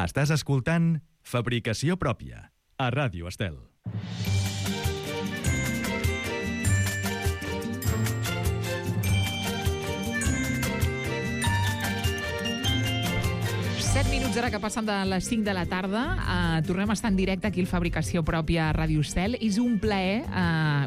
Estàs escoltant Fabricació Pròpia, a Ràdio Estel. Ara que passen de les 5 de la tarda, tornem a estar en directe aquí al Fabricació Pròpia a Ràdio Estel. És un plaer,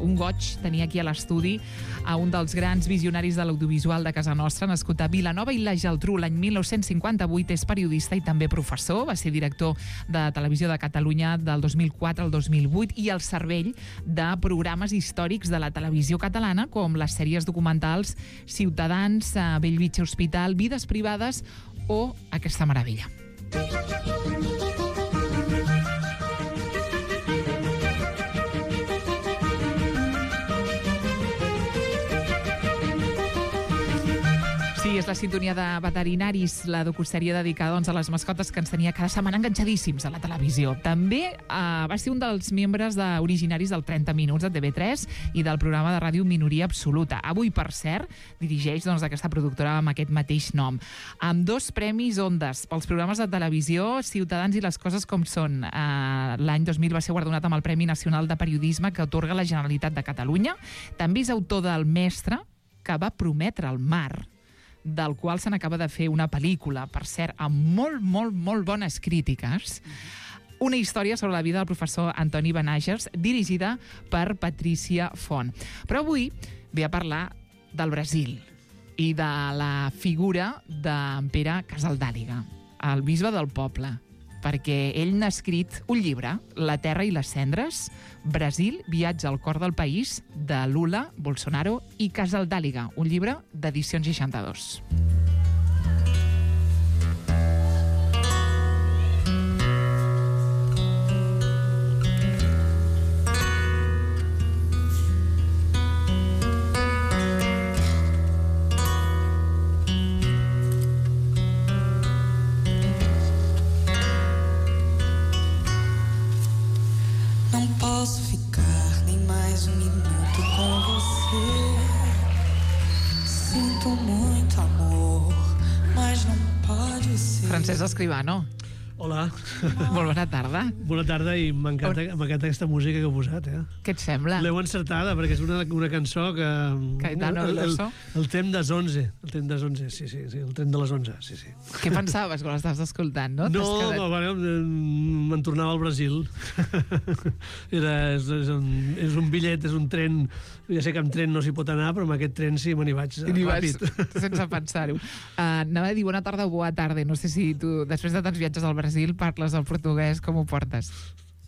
un goig, tenir aquí a l'estudi a un dels grans visionaris de l'audiovisual de casa nostra, nascut a Vilanova i la Geltrú l'any 1958, és periodista i també professor, va ser director de Televisió de Catalunya del 2004 al 2008 i el cervell de programes històrics de la televisió catalana, com les sèries documentals Ciutadans, Bellvitge Hospital, Vides Privades o Aquesta Meravella. Sí, és la sintonia de Veterinaris, la docusèrie dedicada a les mascotes que ens tenia cada setmana enganxadíssims a la televisió. També va ser un dels membres originaris del 30 Minuts de TV3 i del programa de ràdio Minoria Absoluta. Avui, per cert, dirigeix aquesta productora amb aquest mateix nom. Amb 2 premis Ondas pels programes de televisió Ciutadans i les coses com són. L'any 2000 va ser guardonat amb el Premi Nacional de Periodisme que atorga la Generalitat de Catalunya. També és autor del Mestre, que va prometre el mar, del qual se n'acaba de fer una pel·lícula, per cert, amb molt bones crítiques. Una història sobre la vida del professor Antoni Benàgers, dirigida per Patricia Font. Però avui ve a parlar del Brasil i de la figura d'en Pere Casaldàliga, el bisbe del poble, perquè ell n'ha escrit un llibre, La terra i les cendres, Brasil, viatge al cor del país, de Lula, Bolsonaro i Casaldàliga, un llibre d'edicions 62. Francesc Escribano. Hola. Molt bona tarda. Bona tarda i m'encanta aquesta música que heu posat, Què et sembla? L'heu encertada, perquè és una cançó que... Caetano Veloso. El tren des 11. El tren des 11, sí, el tren de les 11, sí. Què pensaves quan l'estaves escoltant, no? Me'n tornava al Brasil. És un bitllet, és un tren... Ja sé que amb tren no s'hi pot anar, però amb aquest tren sí me n'hi vaig ràpid. Sense pensar-ho. Anava a dir bona tarda o bona tarda. No sé si tu, després de tants viatges al Brasil, parles el portuguès, com ho portes?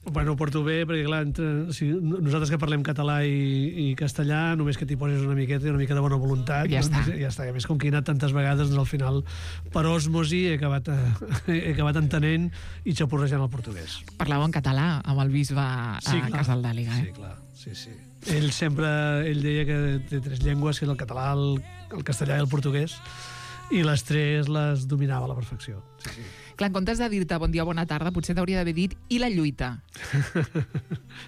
Bueno, ho porto bé, perquè clar, nosaltres que parlem català i castellà, només que t'hi poses una mica de bona voluntat, ja està. A més, com que he anat tantes vegades, doncs al final, per osmosi, he acabat entenent i xapurrejant el portuguès. Parlàveu en català amb el bisbe Casaldàliga, Sí, clar, sí. Ell deia que té 3 llengües, que és el català, el castellà i el portuguès, i les 3 les dominava a la perfecció. Sí. Clar, en comptes de dir-te bon dia o bona tarda, potser t'hauria d'haver dit i la lluita.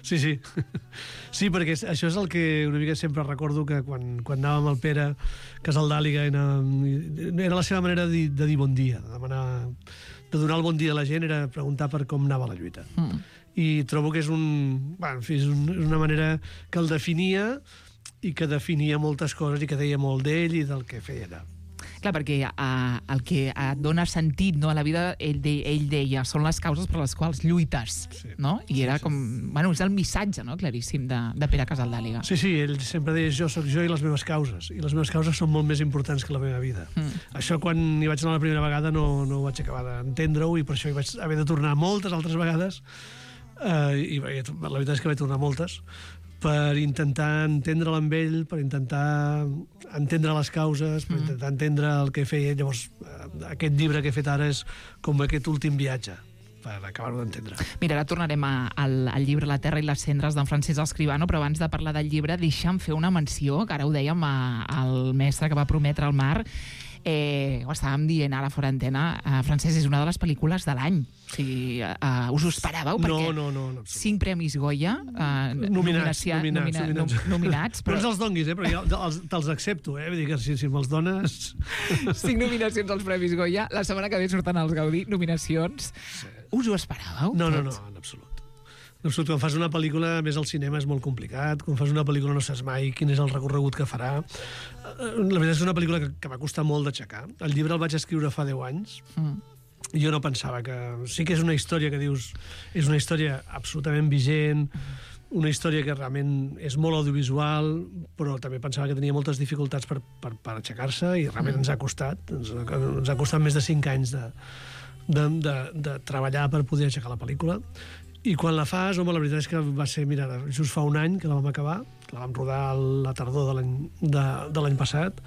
Sí. Sí, perquè això és el que una mica sempre recordo, que quan anàvem amb el Pere Casaldàliga era la seva manera de dir bon dia, de donar el bon dia a la gent, era preguntar per com anava la lluita. I trobo que és una manera que el definia i que definia moltes coses i que deia molt d'ell i del que feia allà. Clar, perquè el que dona sentit, no, a la vida, ell deia, són les causes per les quals lluites, no? I era com... Bueno, és el missatge, no?, claríssim de Pere Casaldàliga. Sí, ell sempre deia, jo sóc jo i les meves causes, i les meves causes són molt més importants que la meva vida. Això, quan hi vaig anar la primera vegada, no ho vaig acabar d'entendre-ho, i per això hi vaig haver de tornar moltes altres vegades, i la veritat és que vaig tornar moltes, per intentar entendre'l amb ell, per intentar entendre les causes, per intentar entendre el que feia. Llavors, aquest llibre que he fet ara és com aquest últim viatge, per acabar-ho d'entendre. Mira, ara tornarem al llibre La terra i les cendres d'en Francesc Escribano, però abans de parlar del llibre, deixa'm fer una menció, que ara ho dèiem al mestre que va prometre el mar. Ho estàvem dient ara fora antena, Francesc, és una de les pel·lícules de l'any. O sigui, us ho esperàveu? No. 5 premis Goya nominats. Però ens els donguis, però jo te'ls accepto, vull dir que si me'ls dones... 5 nominacions als premis Goya. La setmana que ve surten els Gaudí, nominacions. Sí. Us ho esperàveu? No, en absolut. En absolut, quan fas una pel·lícula, més al cinema, és molt complicat. Quan fas una pel·lícula no saps mai quin és el recorregut que farà. La veritat és una pel·lícula que va costar molt d'aixecar. El llibre el vaig escriure fa 10 anys. I jo no pensava que... Sí que és una història que dius... És una història absolutament vigent, una història que realment és molt audiovisual, però també pensava que tenia moltes dificultats per aixecar-se, i realment ens ha costat. Ens ha costat més de 5 anys de treballar per poder aixecar la pel·lícula. I quan la fas, home, la veritat és que va ser, mira, just fa un any que la vam acabar, que la vam rodar a la tardor de l'any passat,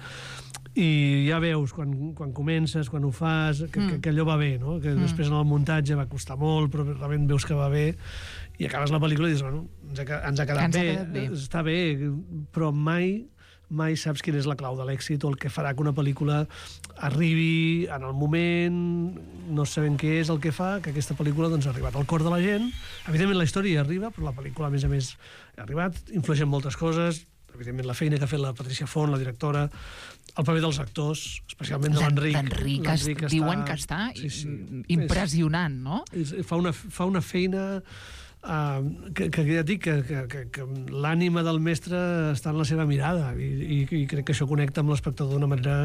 i ja veus, quan comences, quan ho fas, que allò va bé, no? Que després en el muntatge va costar molt, però realment veus que va bé, i acabes la pel·lícula i dius, bueno, ens ha quedat bé, està bé, però mai saps quina és la clau de l'èxit o el que farà que una pel·lícula arribi en el moment, no sabem què és el que fa, que aquesta pel·lícula doncs, ha arribat al cor de la gent. Evidentment la història hi arriba, però la pel·lícula, a més, ha arribat, influeix en moltes coses, evidentment la feina que ha fet la Patricia Font, la directora, el paper dels actors, especialment de l'Enric. L'Enric diuen que està impressionant, no? Fa una feina... que ja et dic que l'ànima del mestre està en la seva mirada i crec que això connecta amb l'espectador d'una manera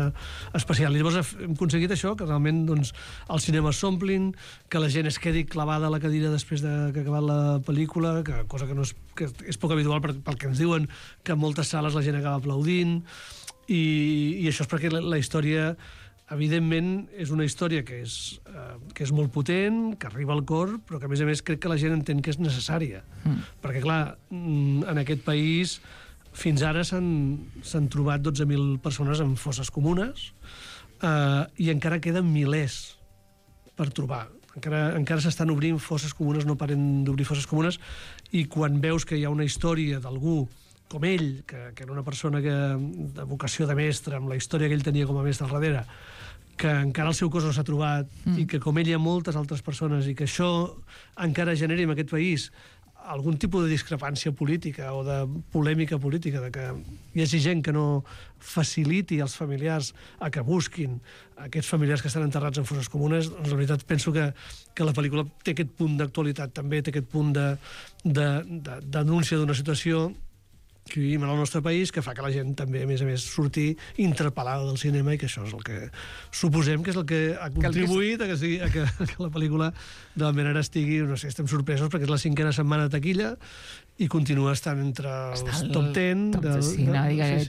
especial. I llavors hem aconseguit això, que realment doncs, els cinemes s'omplin, que la gent es quedi clavada a la cadira després que ha acabat la pel·lícula, cosa que és poc habitual pel que ens diuen, que en moltes sales la gent acaba aplaudint, i això és perquè la història... Evidentment, és una història que és molt potent, que arriba al cor, però que, a més, crec que la gent entén que és necessària. Perquè, clar, en aquest país fins ara s'han trobat 12.000 persones en fosses comunes i encara queden milers per trobar. Encara s'estan obrint fosses comunes, no paren d'obrir fosses comunes, i quan veus que hi ha una història d'algú com ell, que era una persona de vocació de mestre, amb la història que ell tenia com a mestre al darrere, que encara el seu cos no s'ha trobat, i que com ell hi ha moltes altres persones, i que això encara generi en aquest país algun tipus de discrepància política o de polèmica política, de que hi hagi gent que no faciliti als familiars a que busquin aquests familiars que estan enterrats en fosses comunes, doncs la veritat penso que la pel·lícula té aquest punt d'actualitat també, té aquest punt de denúncia d'una situació que vivim en el nostre país, que fa que la gent també, a més, surti interpel·lada del cinema, i que això és el que suposem que és el que ha contribuït a que la pel·lícula de la manera estigui, no sé, estem sorpresos perquè és la 5a setmana de taquilla i continua estant entre els top 10.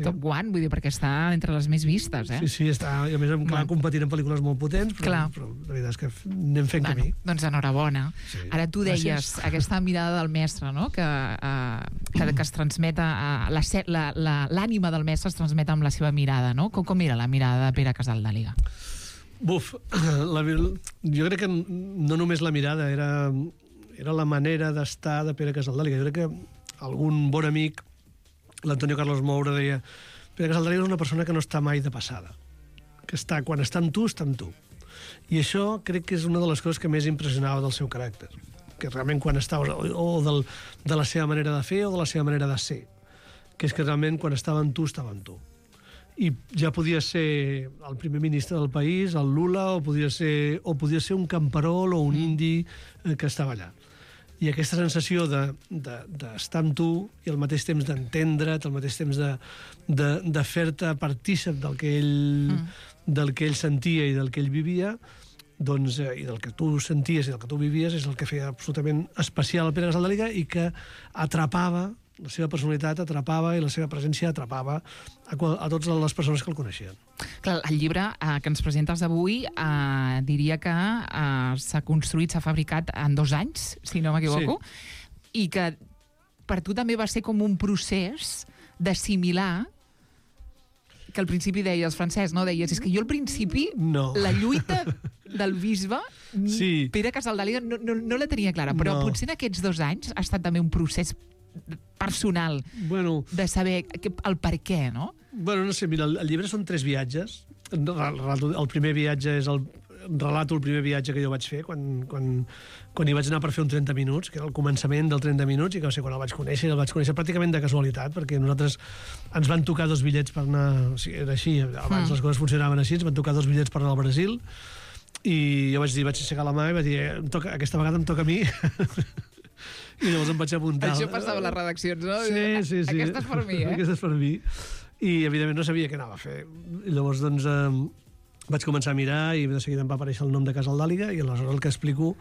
Top 1, vull dir, perquè està entre les més vistes, eh? Sí, està, i a més competint en pel·lícules molt potents, però la veritat és que anem fent camí. Doncs enhorabona. Ara tu deies, aquesta mirada del mestre, no?, que es transmet l'ànima del mestre es transmet amb la seva mirada, no? Com era la mirada de Pere Casaldàliga? Buf, jo crec que no només la mirada, era la manera d'estar de Pere Casaldàliga. Jo crec que algun bon amic, l'Antonio Carlos Moura, deia Pere Casaldàliga és una persona que no està mai de passada, que quan està amb tu, està amb tu. I això crec que és una de les coses que més impressionava del seu caràcter, que realment quan estava, o de la seva manera de fer o de la seva manera de ser, que és que realment quan estava amb tu, estava amb tu. I ja podia ser el primer ministre del país, el Lula, o podia ser un camperol o un indi que estava allà. I aquesta sensació d'estar amb tu i al mateix temps d'entendre't, al mateix temps de fer-te partícip del que ell sentia i del que ell vivia, doncs, i del que tu senties i del que tu vivies, és el que feia absolutament especial el Pere Casaldàliga i que atrapava, la seva personalitat atrapava i la seva presència atrapava a totes les persones que el coneixien. Clar, el llibre que ens presentes avui diria que s'ha construït, s'ha fabricat en 2 anys, si no m'equivoco, i que per tu també va ser com un procés d'assimilar, que al principi deies, Francesc, no? Deies, és que jo al principi la lluita del bisbe, Pere Casaldàliga, no la tenia clara, però potser en aquests 2 anys ha estat també un procés personal de saber el per què, no? Bueno, no sé, mira, el llibre són 3 viatges. el primer viatge és relato el primer viatge que jo vaig fer quan hi vaig anar per fer un 30 minuts, que era el començament del 30 minuts, i que va ser quan el vaig conèixer pràcticament de casualitat, perquè nosaltres ens van tocar 2 bitllets per anar... O sigui, era així, abans les coses funcionaven així, ens van tocar 2 bitllets per anar al Brasil, i jo vaig aixecar la mà i vaig dir, aquesta vegada em toca a mi. I llavors em vaig apuntar. Això passava a les redaccions, no? Sí. Aquesta és per mi, Aquesta és per mi. I, evidentment, no sabia què anava a fer. I llavors, doncs, vaig començar a mirar i de seguida em va aparèixer el nom de Casaldàliga, i aleshores el que explico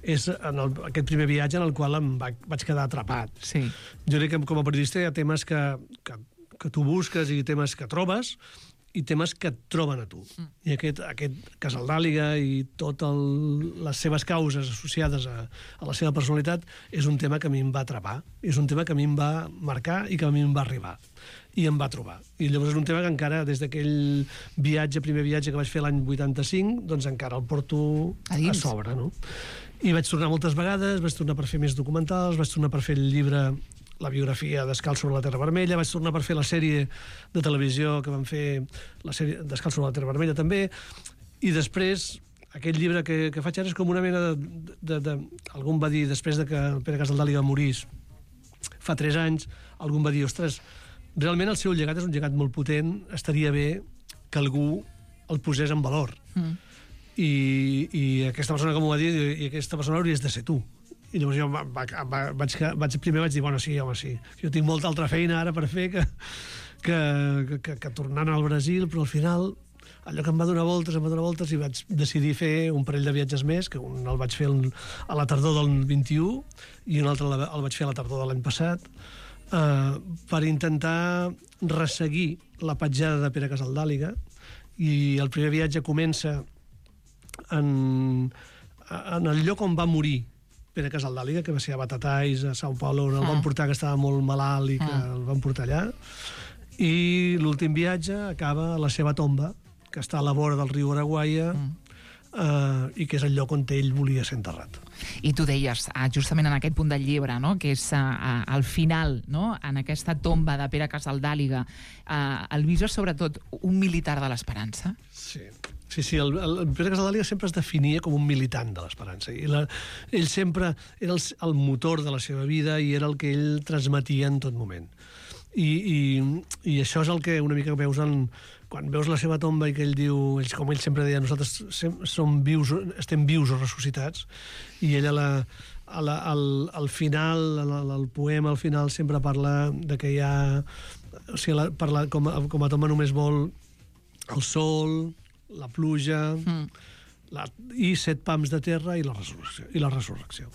és aquest primer viatge en el qual vaig quedar atrapat. Sí. Jo crec que com a periodista hi ha temes que tu busques i temes que trobes i temes que et troben a tu. I aquest Casaldàliga i totes les seves causes associades a la seva personalitat és un tema que a mi em va atrapar, és un tema que a mi em va marcar i que a mi em va arribar. I em va trobar. I llavors és un tema que encara, des d'aquell primer viatge que vaig fer l'any 85, doncs encara el porto a sobre, no? I vaig tornar moltes vegades, vaig tornar per fer més documentals, vaig tornar per fer el llibre, la biografia Descalç sobre la Terra Vermella, vaig tornar per fer la sèrie de televisió que vam fer, la sèrie Descalç sobre la Terra Vermella també, i després aquest llibre que faig ara és com una mena algú em va dir, després de que Pere Casaldàliga morís fa 3 anys, algú em va dir, ostres, realment el seu llegat és un llegat molt potent, estaria bé que algú el posés en valor. I aquesta persona que m'ho va dir, i aquesta persona hauries de ser tu. I llavors jo primer vaig dir, bueno, sí, home, sí. Jo tinc molta altra feina ara per fer que tornant al Brasil, però al final allò que em va donar voltes i vaig decidir fer un parell de viatges més, que un el vaig fer a la tardor del 21 i un altre el vaig fer a la tardor de l'any passat, per intentar resseguir la petjada de Pere Casaldàliga. I el primer viatge comença en el lloc on va morir Pere Casaldàliga, que va ser a Batatais, a São Paulo, on el van portar, que estava molt malalt i que el van portar allà. I l'últim viatge acaba a la seva tomba, que està a la vora del riu Araguaia, i que és el lloc on ell volia ser enterrat. I tu deies, justament en aquest punt del llibre, no?, que és al final, no?, en aquesta tomba de Pere Casaldàliga, el viso és sobretot un militar de l'esperança? Sí, el Pere Casaldàliga sempre es definia com un militant de l'esperança. Ell sempre era el motor de la seva vida i era el que ell transmetia en tot moment. I això és el que una mica veus quan veus la seva tomba i que ell diu, com ell sempre deia, nosaltres estem vius o ressuscitats, i ell al final, el poema al final sempre parla de que hi ha... O sigui, com a tomba només vol el sol, la pluja, i 7 pams de terra i la resurrecció.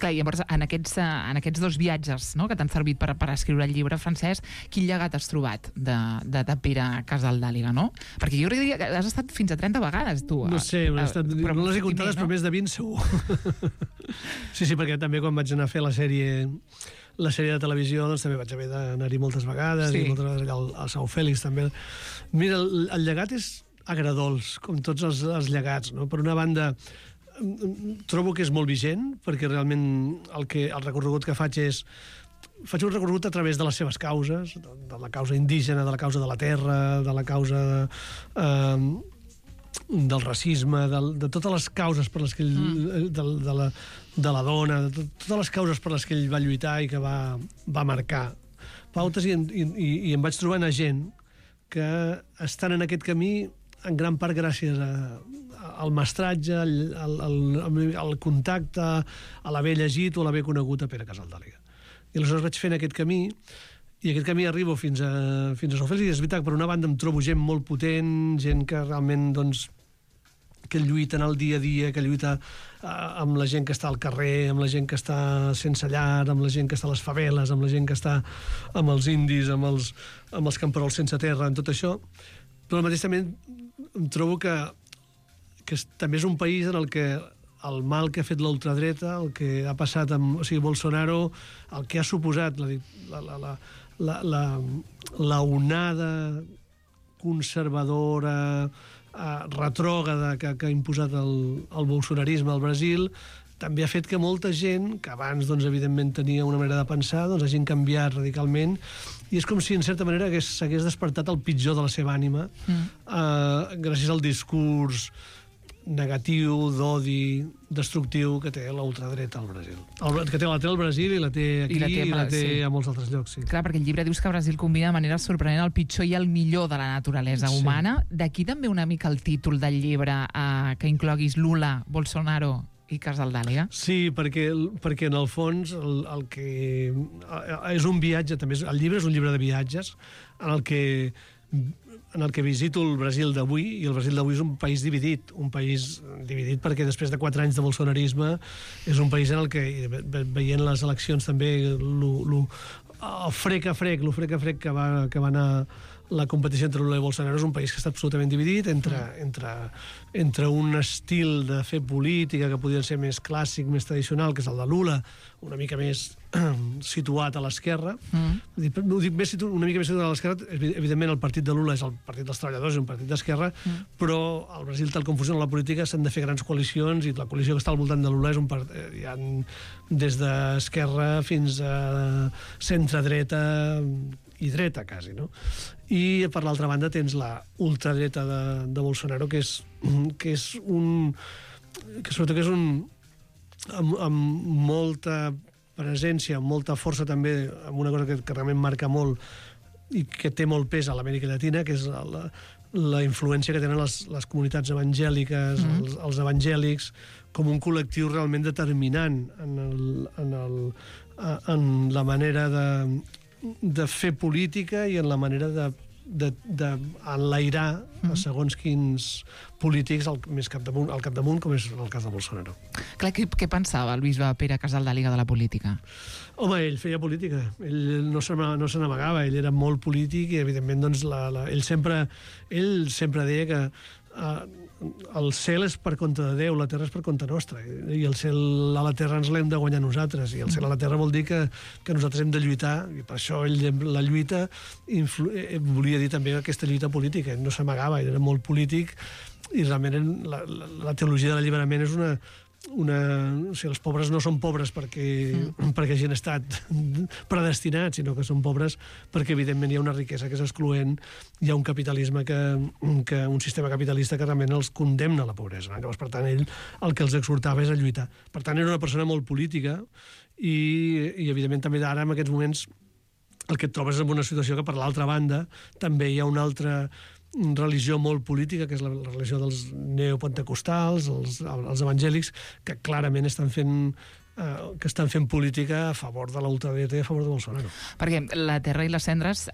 Clar, llavors, en aquests 2 viatges, no?, que t'han servit per escriure el llibre, Francesc, quin llegat has trobat de Pere Casaldàliga, no? Perquè jo diria que has estat fins a 30 vegades, tu. No sé, no les he comptades, però més de 20 segur. Sí, perquè també quan vaig anar a fer la sèrie de televisió, doncs també vaig haver d'anar-hi moltes vegades, i moltes vegades allà al São Félix també. Mira, el llegat és agradols, com tots els llegats, no? Per una banda, trobo que és molt vigent, perquè realment el recorregut que faig un recorregut a través de les seves causes, de la causa indígena, de la causa de la terra, de la causa del racisme, de totes les causes per les que ell, de la dona, de totes les causes per les que ell va lluitar i que va marcar pautes, i em vaig trobant a gent que estan en aquest camí en gran part gràcies al mestratge, al contacte, a l'haver llegit o l'haver conegut a Pere Casaldàliga. I aleshores vaig fent aquest camí, i aquest camí arribo fins a São Félix, i és veritat, per una banda em trobo gent molt potent, gent que realment, doncs, que lluita en el dia a dia, que lluita amb la gent que està al carrer, amb la gent que està sense llar, amb la gent que està a les faveles, amb la gent que està amb els indis, amb els camperols sense terra, en tot això. Però al mateix també em trobo que també és un país en el que el mal que ha fet l'ultradreta, el que ha passat amb Bolsonaro, el que ha suposat la onada conservadora, retrògrada que ha imposat el bolsonarisme al Brasil, també ha fet que molta gent, que abans, doncs, evidentment, tenia una manera de pensar, doncs hagin canviat radicalment, i és com si, en certa manera, s'hagués despertat el pitjor de la seva ànima, gràcies al discurs negatiu, d'odi, destructiu que té la ultradreta al Brasil. Que té al Brasil i la té aquí i la té a molts altres llocs, sí. Clar, perquè el llibre dius que Brasil combina de manera sorprenent el pitjor i el millor de la naturalesa humana. D'aquí també una mica el títol del llibre, que incloguis Lula, Bolsonaro i Casaldàliga. Sí, perquè en el fons el que és un viatge, també el llibre és un llibre de viatges en el que visito el Brasil d'avui, i el Brasil d'avui és un país dividit perquè després de 4 anys de bolsonarisme és un país en el que, veient les eleccions també, el frec a frec que va anar la competició entre Lula i Bolsonaro, és un país que està absolutament dividit entre un estil de fer política que podria ser més clàssic, més tradicional, que és el de Lula, una mica més situat a l'esquerra. No dic una mica més situat a l'esquerra, evidentment el partit de Lula és el partit dels treballadors, és un partit d'esquerra, però al Brasil, tal com funciona la política, s'han de fer grans coalicions, i la coalició que està al voltant de Lula és hi ha des d'esquerra fins a centre-dreta i dreta, quasi, no? I, per l'altra banda, tens la ultradreta de Bolsonaro, que sobretot és amb molta presència, amb molta força també, amb una cosa que realment marca molt i que té molt pes a l'Amèrica Llatina, que és la influència que tenen les comunitats evangèliques, els evangèlics, com un col·lectiu realment determinant en la manera de fer política i en la manera d'enlairar segons quins polítics al capdamunt, com és el cas de Bolsonaro. Clar, què pensava el bisbe Pere Casaldàliga de la política? Home, ell feia política. Ell no se n'amagava, ell era molt polític i, evidentment, doncs, ell sempre deia que el cel és per compte de Déu, la terra és per compte nostra, i el cel a la terra ens l'hem de guanyar nosaltres, i el cel a la terra vol dir que nosaltres hem de lluitar, i per això la lluita volia dir també aquesta lluita política. Ell no s'amagava, ell era molt polític, i realment la teologia de l'alliberament és o sigui, els pobres no són pobres perquè hagin estat predestinats, sinó que són pobres perquè, evidentment, hi ha una riquesa que és excloent, hi ha un capitalisme un sistema capitalista que realment els condemna a la pobresa. Llavors, per tant, ell el que els exhortava és a lluitar. Per tant, era una persona molt política i evidentment, també ara, en aquests moments, el que et trobes és en una situació que, per l'altra banda, també hi ha una altra religió molt política, que és la religió dels neopentecostals, els evangèlics, que clarament estan fent política a favor de la ultradreta i a favor de Bolsonaro. Perquè la Terra i les Cendres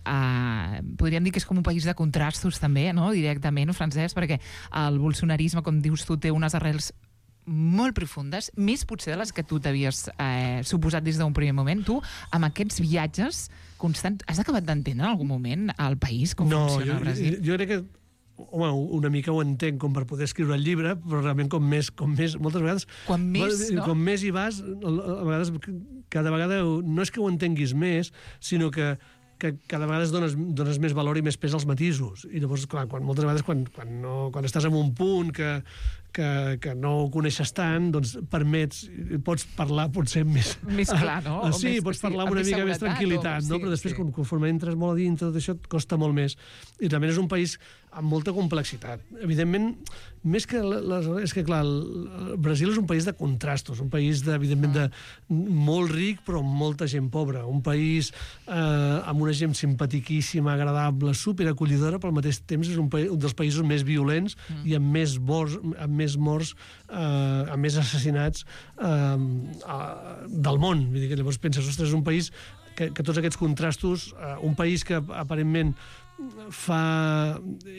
podríem dir que és com un país de contrastos també, no? Directament, Francesc, perquè el bolsonarisme, com dius tu, té unes arrels molt profundes, més potser de les que tu t'havies suposat des d'un primer moment. Tu, amb aquests viatges constants, has acabat d'entendre en algun moment el país, com funciona el Brasil? Jo crec que, home, una mica ho entenc com per poder escriure el llibre, però realment com més moltes vegades... Com més hi vas, a vegades, cada vegada no és que ho entenguis més, sinó que cada vegada dones més valor i més pes als matisos. I llavors, clar, moltes vegades quan estàs en un punt que no ho coneixes tant, doncs pots parlar potser més... Més clar, no? Sí, pots parlar amb una mica més tranquil·litat, no? Però després, conforme entres molt a dintre, tot això et costa molt més. I realment és un país amb molta complexitat. Evidentment, més que... És que, clar, el Brasil és un país de contrastos, un país, evidentment, molt ric, però amb molta gent pobra. Un país amb una gent simpatiquíssima, agradable, superacollidora, però al mateix temps és un dels països més violents i amb més morts, amb més assassinats del món. Vull dir que llavors penses, ostres, és un país que tots aquests contrastos, un país que aparentment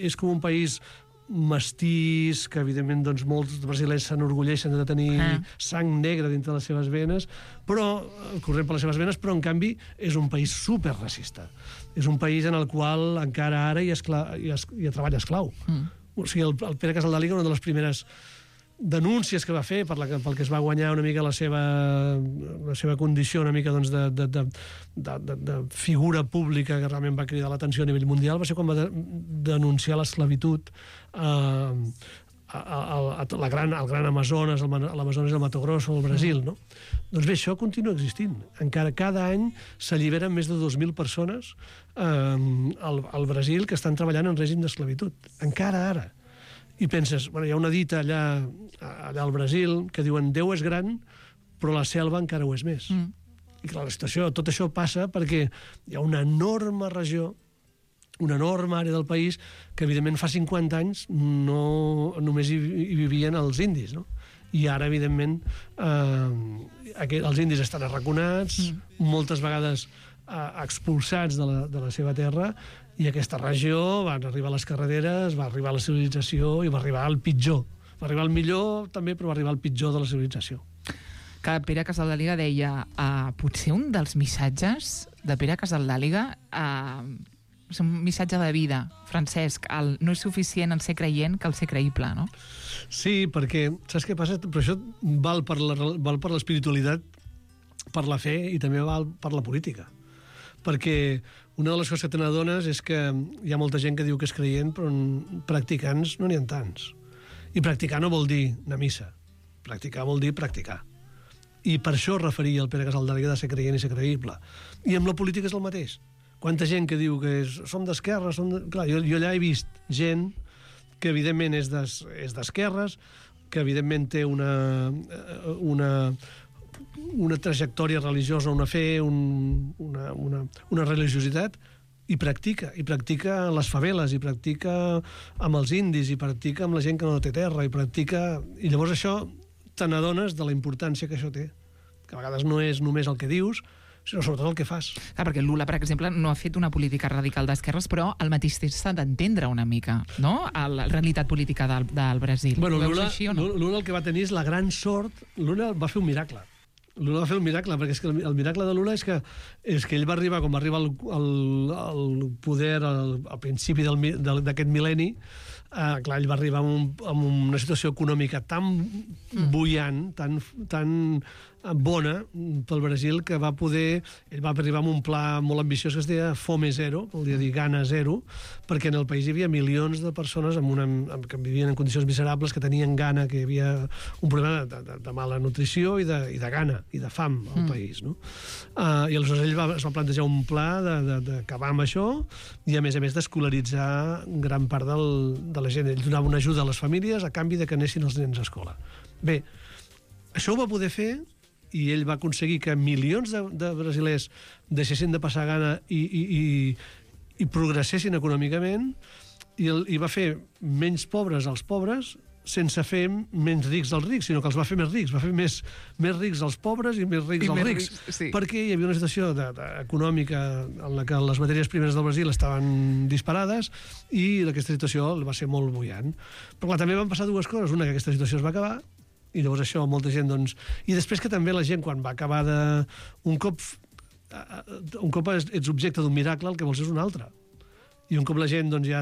és com un país mestís, que evidentment doncs, molts brasilers s'enorgulleixen de tenir sang negra dintre de les seves venes, però corrent per les seves venes, però en canvi és un país superracista. És un país en el qual encara ara hi ha treball esclau. O sigui, el Pere Casaldàliga, una de les primeres denúncies que va fer pel que es va guanyar una mica la seva condició una mica doncs, de figura pública que realment va cridar l'atenció a nivell mundial, va ser quan va denunciar l'esclavitud el gran Amazones, l'Amazones i el Mato Grosso, al Brasil, no? Doncs bé, això continua existint. Encara cada any s'alliberen més de 2.000 persones al Brasil que estan treballant en règim d'esclavitud. Encara ara. I penses, bueno, hi ha una dita allà al Brasil que diuen Déu és gran, però la selva encara ho és més. I clar, la situació, tot això passa perquè hi ha una enorme regió, una enorme àrea del país que, evidentment, fa 50 anys només hi vivien els indis, no? I ara, evidentment, els indis estan arraconats, moltes vegades expulsats de la seva terra, i aquesta regió van arribar a les carreteres, va arribar a la civilització i va arribar al pitjor. Va arribar al millor, també, però va arribar al pitjor de la civilització. Que Pere Casaldàliga deia potser un dels missatges de Pere Casaldàliga és un missatge de vida, Francesc, no és suficient en ser creient que el ser creïble, no? Sí, perquè, saps què passa? Però això val per l'espiritualitat, per la fe i també val per la política. Perquè una de les coses que te n'adones és que hi ha molta gent que diu que és creient, però practicants no n'hi ha tants. I practicar no vol dir anar a missa. Practicar vol dir practicar. I per això es referia el Pere Casaldàliga de ser creient i ser creïble. I amb la política és el mateix. Quanta gent que diu que som d'esquerres... Clar, jo allà he vist gent que evidentment és d'esquerres, que evidentment té una trajectòria religiosa, una fe, una religiositat, i practica a les faveles, i practica amb els indis, i practica amb la gent que no té terra, i llavors això te n'adones de la importància que això té, que a vegades no és només el que dius, sinó sobretot el que fas. Clar, perquè Lula, per exemple, no ha fet una política radical d'esquerres, però al mateix temps s'ha d'entendre una mica, no?, la realitat política del Brasil. Bueno, ho veus així o no? Lula el que va tenir és la gran sort... Lula va fer un miracle. Lula va fer un miracle, perquè és que el miracle de Lula és que ell va arribar, com va arribar al poder al principi d'aquest mil·lenni, clar, ell va arribar amb una situació econòmica tan bullant, tan bona pel Brasil, que ell va arribar amb un pla molt ambiciós que es deia Fome Zero, vol dir gana zero, perquè en el país hi havia milions de persones que vivien en condicions miserables, que tenien gana, que hi havia un problema de mala nutrició i de gana i de fam al país, no? I aleshores ell es va plantejar un pla d'acabar amb això i, a més d'escolaritzar gran part de la gent. Ell donava una ajuda a les famílies a canvi de que anessin els nens a escola. Bé, això ho va poder fer i ell va aconseguir que milions de brasilers deixessin de passar gana i progressessin econòmicament, i va fer menys pobres als pobres sense fer menys rics als rics, sinó que els va fer més rics. Va fer més rics als pobres i més rics als rics. Sí. Perquè hi havia una situació econòmica en la que les matèries primeres del Brasil estaven disparades i aquesta situació va ser molt bullant. Però clar, també van passar dues coses. Una, que aquesta situació es va acabar, i llavors això molta gent, doncs... I després que també la gent, quan va acabar un cop ets objecte d'un miracle, el que vols és un altre. I un cop la gent ja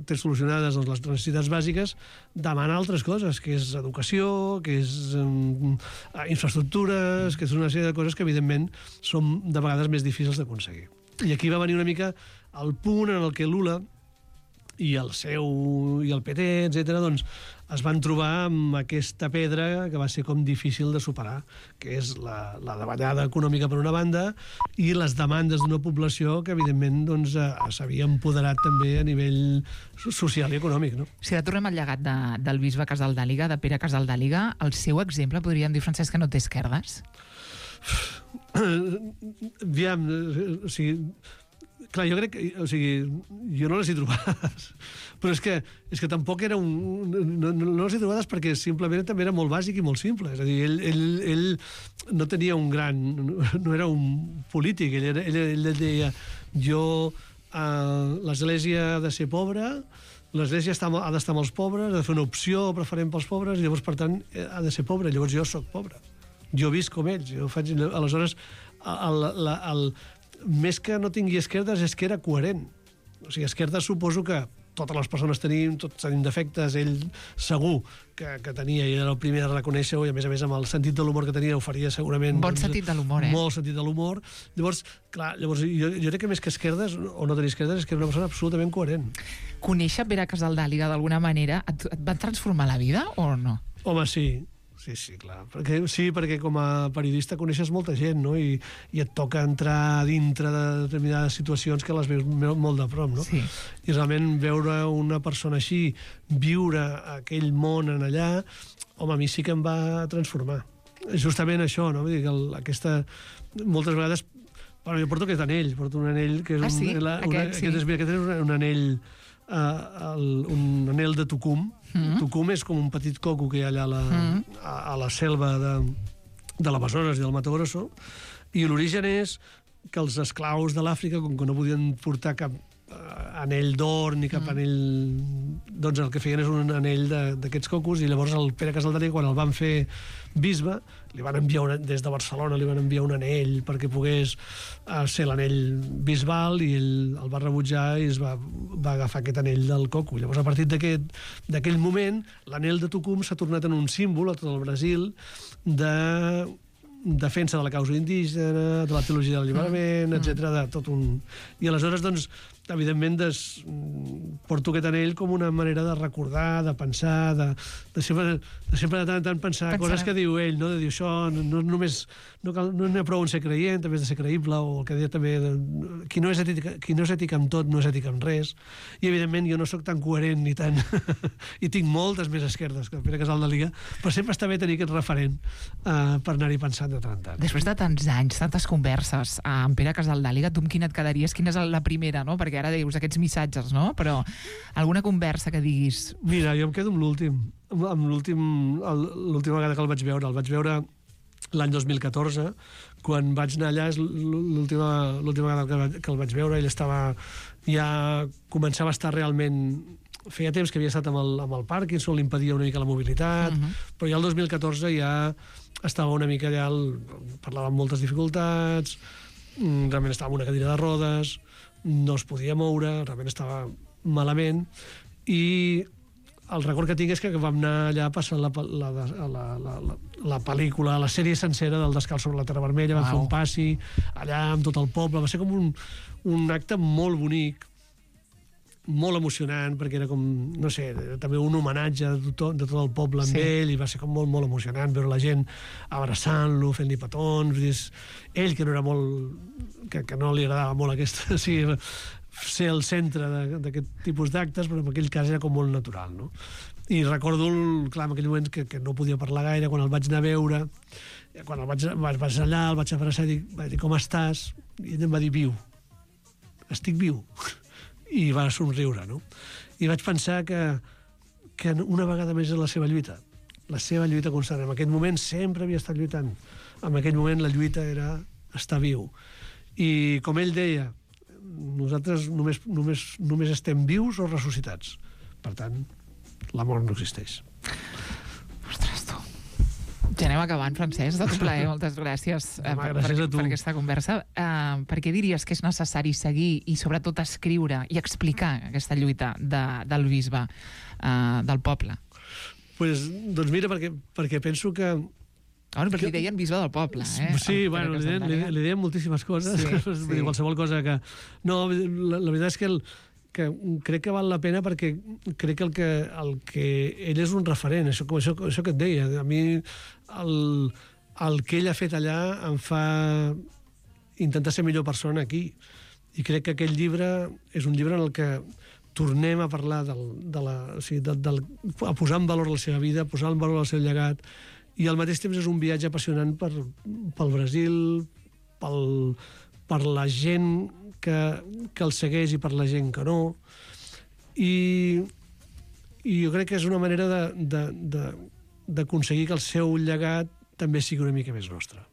té solucionades les necessitats bàsiques, demana altres coses, que és educació, que és infraestructures, que és una sèrie de coses que, evidentment, són de vegades més difícils d'aconseguir. I aquí va venir una mica el punt en el que Lula i el PT, etc., doncs, es van trobar amb aquesta pedra que va ser com difícil de superar, que és la davallada econòmica per una banda i les demandes d'una població que, evidentment, doncs, s'havia empoderat també a nivell social i econòmic, no? Si ara tornem al llegat del bisbe Casaldàliga, de Pere Casaldàliga, el seu exemple, podríem dir, Francesc, que no té esquerdes? Aviam, o sigui... Clar, jo crec que... O sigui, jo no les he trobades. Però és que tampoc era no les he trobades perquè simplement també era molt bàsic i molt simple. És a dir, ell no tenia un gran... No era un polític. Ell deia, l'Església ha de ser pobra, l'Església ha d'estar amb els pobres, ha de fer una opció preferent pels pobres, i llavors, per tant, ha de ser pobre. Llavors jo sóc pobre. Jo visc com ells. Aleshores, més que no tingui esquerdes és que era coherent. O sigui, esquerdes suposo que totes les persones tenim, tots tenim defectes, ell segur que tenia, i era el primer a reconèixer-ho, i a més amb el sentit de l'humor que tenia ho faria segurament... Bon sentit de l'humor, Molt sentit de l'humor. Llavors, clar, jo crec que més que esquerdes, o no tenir esquerdes, és que era una persona absolutament coherent. Conèixer Pere Casaldàliga d'alguna manera et va transformar la vida o no? Home, sí. Sí, clar. Perquè com a periodista coneixes molta gent, no? I et toca entrar dintre de determinades situacions que les veus molt de prop, no? Sí. I realment veure una persona així, viure aquell món en allà, home, a mi sí que em va transformar. Justament això, no? Vull dir que moltes vegades... Bueno, jo porto aquest anell, porto un anell que és sí? Aquest és un anell... un anell de Tucum. Tucum és com un petit coco que hi ha allà a la selva de l'Amazones i del Mato Grosso, i l'origen és que els esclaus de l'Àfrica, com que no podien portar cap anell d'or ni cap anell, doncs el que feien és un anell d'aquests cocos, i llavors el Pere Casaldàliga, quan el van fer bisbe, li van enviar des de Barcelona li van enviar un anell perquè pogués ser l'anell bisbal, i ell el va rebutjar i va agafar aquest anell del coco. Llavors, a partir d'aquell moment, l'anell de Tucum s'ha tornat en un símbol a tot el Brasil de defensa de la causa indígena, de la teologia del alliberament, etc. de tot un... I aleshores, doncs, evidentment, porto aquest anell com una manera de recordar, de pensar, de sempre de tant en tant pensar coses que diu ell, no? De dir això, no només... No n'hi ha prou en ser creient, també has de ser creïble, o el que deia també... Qui no és ètic amb tot, no és ètic amb res. I, evidentment, jo no sóc tan coherent ni tan... I tinc moltes més esquerdes que el Pere Casaldàliga, però sempre està bé tenir aquest referent per anar-hi pensant de tant en tant. Després de tants anys, tantes converses amb Pere Casaldàliga, tu amb quina et quedaries? Quina és la primera, no? Perquè ara dius aquests missatges, no? Però alguna conversa que diguis... Mira, jo em quedo amb l'última vegada que el vaig veure. El vaig veure l'any 2014, quan vaig anar allà, és l'última vegada que el vaig veure. Ell començava a estar realment... Feia temps que havia estat amb el Parkinson, li impedia una mica la mobilitat, però ja el 2014 ja estava una mica allà, parlava amb moltes dificultats, realment estava en una cadira de rodes, no es podia moure, realment estava malament, i el record que tinc és que vam anar allà passant la pel·lícula, la sèrie sencera del Descalç sobre la Terra Vermella, vam fer un passi allà amb tot el poble, va ser com un acte molt bonic, molt emocionant, perquè era com, no sé, també un homenatge de tot el poble amb ell, i va ser com molt, molt emocionant veure la gent abraçant-lo, fent-li petons, ell que no era molt... que no li agradava molt aquesta... ser el centre d'aquest tipus d'actes, però en aquell cas era com molt natural, no? I recordo, clar, en aquell moment que no podia parlar gaire, quan el vaig anar a veure, quan el vaig allà, el vaig abraçar i vaig dir, com estàs? I ell em va dir, viu. Estic viu. I va somriure, no? I vaig pensar que una vegada més és la seva lluita constant. En aquest moment sempre havia estat lluitant. En aquell moment la lluita era estar viu. I com ell deia, nosaltres només estem vius o ressuscitats. Per tant, la mort no existeix. Ostres, tu. Ja anem acabant, Francesc, de tot plaer. Moltes gràcies, gràcies a tu per aquesta conversa. Per què diries que és necessari seguir i sobretot escriure i explicar aquesta lluita del bisbe, del poble? Doncs mira, perquè penso que... Perquè li deien bisbe del poble, Sí, bueno, li deien moltíssimes coses. Sí. Qualsevol cosa que... No, la veritat és que crec que val la pena, perquè crec que el que ell és un referent, això que et deia. A mi el que ell ha fet allà em fa intentar ser millor persona aquí. I crec que aquell llibre és un llibre en el que tornem a parlar a posar en valor la seva vida, a posar en valor el seu llegat, i al mateix temps és un viatge apassionant pel Brasil, per la gent que el segueix i per la gent que no. I jo crec que és una manera d'aconseguir que el seu llegat també sigui una mica més nostre.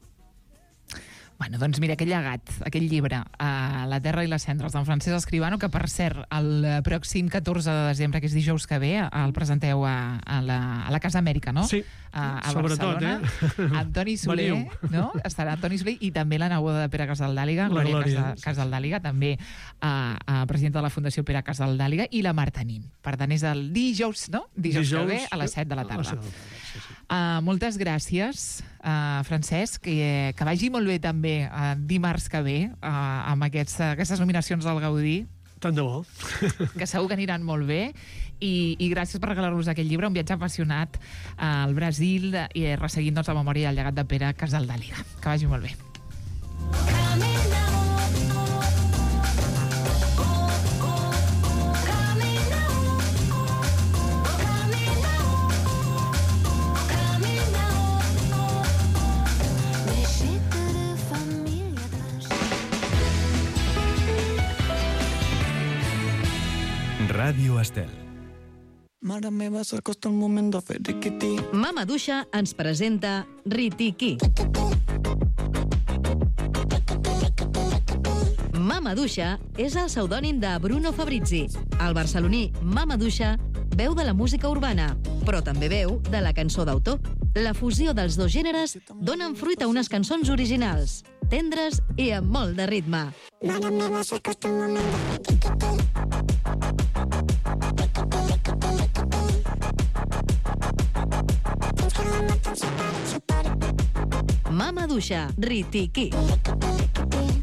Bueno, doncs mira, aquell llegat, aquell llibre, La terra i les cendres, d'en Francesc Escribano, que per cert, el pròxim 14 de desembre, que és dijous que ve, el presenteu a la Casa Amèrica, no? Sí, a sobretot, Barcelona. Antoni Soler, no? Estarà Antoni Soler i també la neboda de Pere Casaldàliga, Glòria Casaldàliga, també presidenta de la Fundació Pere Casaldàliga, i la Marta Nin. Per tant, és el dijous, no? Dijous que ve a les 7 de la tarda. Moltes gràcies, Francesc, que vagi molt bé també dimarts que ve amb aquestes nominacions del Gaudí. Tant de bo. Que segur que aniran molt bé i gràcies per regalar-nos aquest llibre, un viatge apassionat al Brasil i resseguint la memòria i el llegat de Pere Casaldàliga. Que vagi molt bé. Ràdio Estel. Mare meva, s'acosta el moment de fer riquití. Mama Duixa ens presenta Ritiquí. Mama Duixa és el pseudònim de Bruno Fabrizi. El barceloní Mama Duixa veu de la música urbana, però també veu de la cançó d'autor. La fusió dels dos gèneres donen fruit a unes cançons originals, tendres i amb molt de ritme. Mare meva, s'acosta el moment de fer riquití. Mama Duixa, Ritiquí.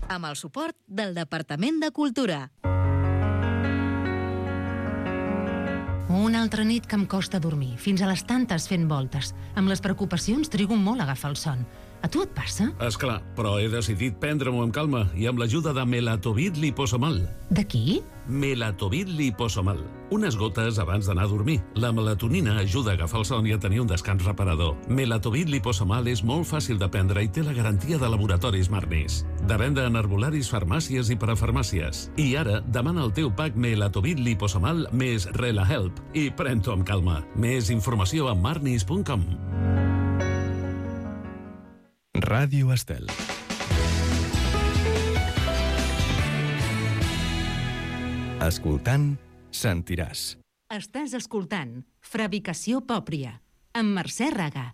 Amb el suport del Departament de Cultura. Una altra nit que em costa dormir, fins a les tantes fent voltes. Amb les preocupacions trigo molt a agafar el son. A tu et passa? Esclar, però he decidit prendre-m'ho amb calma i amb l'ajuda de Melatovit Liposomal. De qui? Melatovit Liposomal. Unes gotes abans d'anar a dormir. La melatonina ajuda a agafar el son i a tenir un descans reparador. Melatovit Liposomal és molt fàcil de prendre i té la garantia de laboratoris Marnis. De venda en herbolaris, farmàcies i parafarmàcies. I ara, demana el teu pack Melatovit Liposomal més RelaHelp i pren-t'ho amb calma. Més informació a marnis.com. Ràdio Estel. Escoltant, sentiràs. Estàs escoltant Fabricació Pòpria, amb Mercè Raga.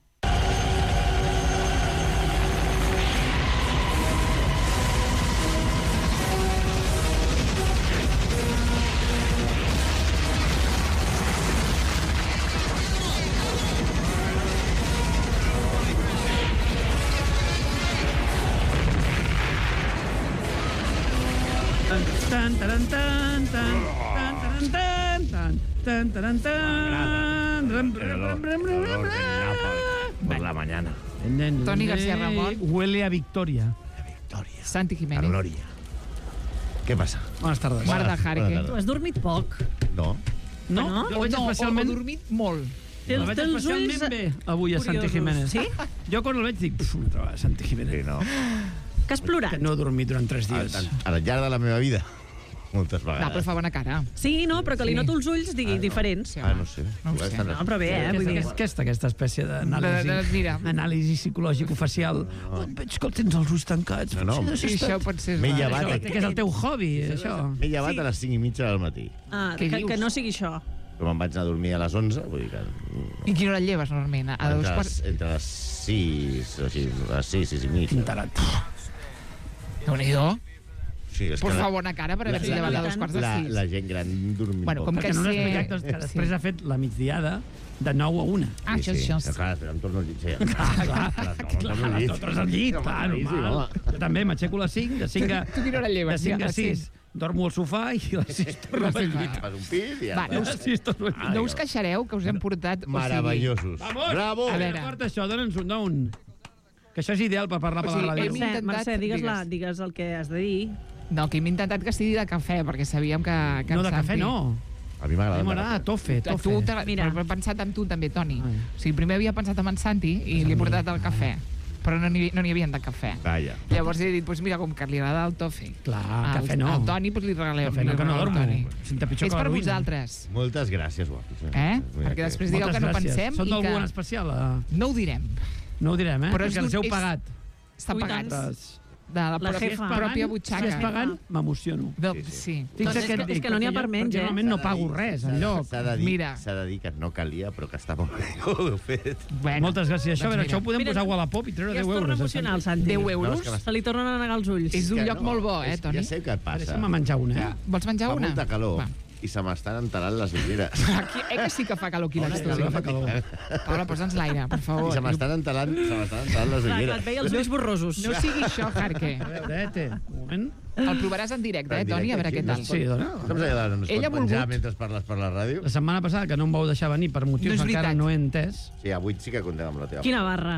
Tan, taran, tan, tan, tan, taran, tan, tan, tan, taran, tan. Por la mañana. Toni García Ramón. Huele a victoria. Santi Jiménez. A Gloria. ¿Qué pasa? Buenas tardes. Marta Jarque. Tu has dormit poc. No. No? Jo veig O especialment... dormit molt. El veig especialment bé avui a Santi Jiménez. Sí? Jo quan el veig dic, una trobada, Santi Jiménez. Sí, no. Que has plorat? Que no he dormit durant 3 dies. Al llarg de la meva vida. Moltes Va, vegades. però fa bona cara. Sí, no, però que li noto els ulls diferents. No sé. No ho sé. No, però bé, vull dir... Aquesta espècie Mira. d'anàlisi psicològic-facial. Veig que tens els ulls tancats. No. I això pot ser... M'he llevat. Que és el teu hobby, això. M'he llevat a les 5:30 del matí. Ah, Què dius? que no sigui això. Però me'n vaig anar a dormir a les 11, vull dir que... I quina hora et lleves, normalment? A dos quarts... Entre les 6, o així, a les 6, 6 i mig. Pintarat. Déu-n'hi-do. Sí, és Pues que fa bona cara per haver-se llevat a dos quarts de 6. la gent gran dormint Bueno, com poc. que Que no sé... n'has explicat que després ha fet la migdiada de 9 a 1. Ah, això. Clar, però em torno al llit. Sí. Clar, torno al llit. totes al llit, clar, normal. Jo també m'aixeco a les 5, de 5 a... Tu quina hora et lleves? De 5 a A 6 dormo al sofà i a les 6 torno al llit. Fas un pis i ja Va, està. no us queixareu que us hem portat... Meravellosos. Bravo! A veure. Porta això, dona'ns un. Que això és ideal per parlar per la ràdio. Mercè, digues el que has de dir. No, que hem intentat que sigui de cafè, perquè sabíem que No, de en cafè Santi... no. A mi A mi m'agrada. m'agrada tofe. Mira, he pensat en tu també, Toni. Ai. O sigui, primer havia pensat en Santi i li he portat el cafè, però no n'hi havia de cafè. Calla. Llavors he dit, mira, com que li agrada el tofe. Clar, cafè no. Al Toni, li regalem. Cafè no, que no dormo. Senta pitjor És que la per ruïna. vosaltres. Moltes gràcies, guapis. Perquè després digueu que no pensem Són i d'algú en que... especial? No ho direm. No ho direm, Però perquè els heu pagat. Està pagat. de la pròpia butxaca. Si és pagant, m'emociono. Sí. És que no n'hi ha per menys, perquè realment no pago res, enlloc. S'ha de dir que no calia, però que està molt bé fet. Moltes gràcies. Això ho podem posar a Wallapop i treure 10 euros. Ja es torna emocional, Santi. 10 euros? Se li tornen a negar els ulls. És un lloc molt bo, Toni? Ja sé què et passa. Deixa'm menjar una, Vols menjar una? Fa molta calor i se m'estan enterant les ulleres. Aquí, que sí que fa calor aquí a l'estudi. Paula, posa'ns l'aire, per favor. I se m'estan enterant les ulleres. Et veia els ulls borrosos. No sigui això, Jarque. A veure, un moment. El provaràs en directe, Toni, a veure què tal. Sí, dona. Com s'ha de Ella ha menjar volgut. mentre parles per la ràdio? La setmana passada, que no em vau deixar venir per motius que encara no he entès. Sí, avui sí que contem amb la teva. Quina barra.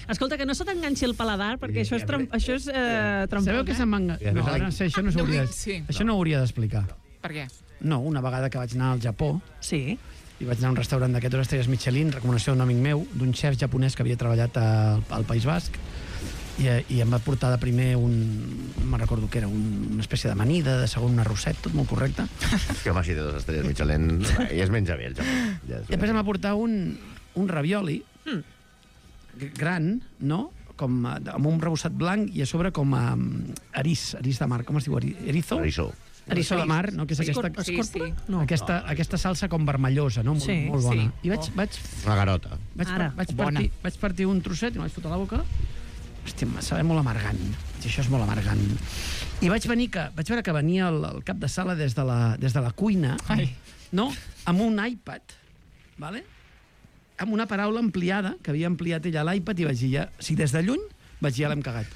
Escolta, que no se t'enganxi el paladar, perquè això és trampó. Sabeu que se'n va enganxar? No, ara això no s'hauria això no ho hauria d'explicar. Per què? No, una vegada que vaig anar al Japó, sí, i vaig anar a un restaurant d'aquestes estrelles Michelin, recomanació d'un amic meu, d'un xef japonès que havia treballat al País Basc, i em va portar de primer no me'n recordo què era, una espècie d'amanida, de segon un arrosset, tot molt correcte. Que home, si té 2 estrelles Michelin, i es menja bé el Japó. I després em va portar un ravioli gran, no?, com amb un rebossat blanc i a sobre com erís de mar. Com es diu? Erizo? Eriçó de mar, no? Que és aquesta salsa com vermellosa, no? Molt bona. I vaig... Una garota. Vaig partir un trosset i me'l vaig fotre a la boca. Hòstia, em sabia molt amargant. Això és molt amargant. I vaig veure que venia el cap de sala des de la cuina, no? Amb un iPad, ¿vale? Amb una paraula ampliada, que havia ampliat ella a l'iPad, i vaig dir, si des de lluny vaig dir, ja l'hem cagat.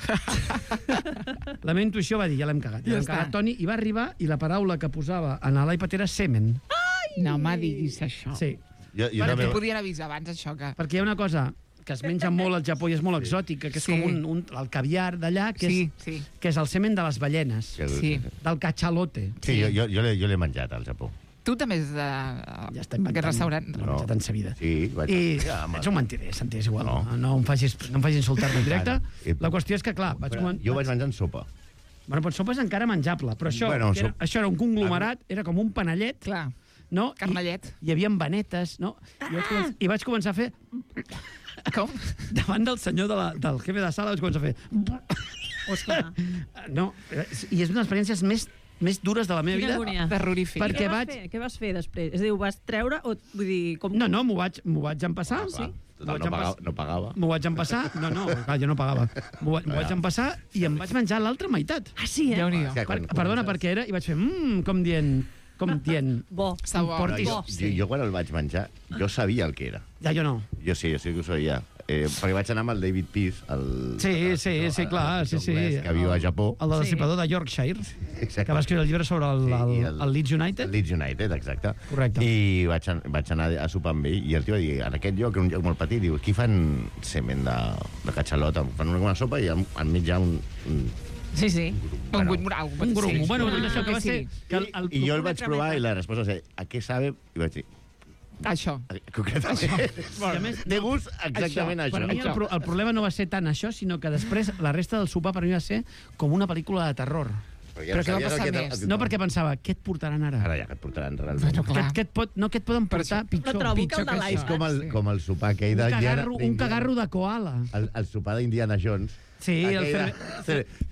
La meva intuïció va dir, ja l'hem cagat. Ja l'hem cagat, Toni, i va arribar, i la paraula que posava en l'iPad era semen. No me diguis això. Sí. Perquè podien avisar abans, això que... Perquè hi ha una cosa que es menja molt al Japó i és molt exòtica, que és com el caviar d'allà, que és el semen de les ballenes, del cachalote. Sí, jo l'he menjat al Japó. Tu també és d'aquest restaurant. No l'he menjat en sa vida. Sí, vaig... Ets un mentider, Santi, és igual. No em facis insultar-me en directe. La qüestió és que, clar... Jo vaig menjar en sopa. Bueno, però sopa és encara menjable, però això era un conglomerat, era com un panellet. Clar, no? carnellet. Hi havia vanetes, no? I vaig començar a fer... Com? Davant del senyor del jefe de sala vaig començar a fer... Ostres. No, i és una de les experiències més dures de la meva vida. Terrorífic. Què vas fer després? És a dir, ho vas treure o vull dir... No, m'ho vaig empassar. Sí? No pagava. M'ho vaig empassar. No, jo no pagava. M'ho vaig empassar i em vaig menjar l'altra meitat. Ah, sí, eh? Perdona, perquè era... I vaig fer... com dient... Bo. Jo quan el vaig menjar, jo sabia el que era. Ja, jo no. Jo sí que ho sabia. Perquè vaig anar amb el David Pearce, Sí, clar, sí. Que viu a Japó. El de l'estipador de Yorkshire, que va escriure el llibre sobre el Leeds United. El Leeds United, exacte. Correcte. I vaig anar a sopar amb ell, i el tio va dir, en aquest lloc, un lloc molt petit, diu, aquí fan semen de catxalot, fan una sopa i enmig hi ha un... Sí. Un moral. Un grum. Bueno, això que va ser... I jo el vaig provar i la resposta va ser, ¿a què sabe? I vaig dir... Això. Concretament. De gust, exactament això. Per mi el problema no va ser tant això, sinó que després la resta del sopar per mi va ser com una pel·lícula de terror. Però què va passar més? No, perquè pensava, què et portaran ara? Ara ja, què et portaran realment? Què et poden portar pitjor? És com el sopar aquell d'Indiana... Un cagarro de koala. El sopar d'Indiana Jones. Sí,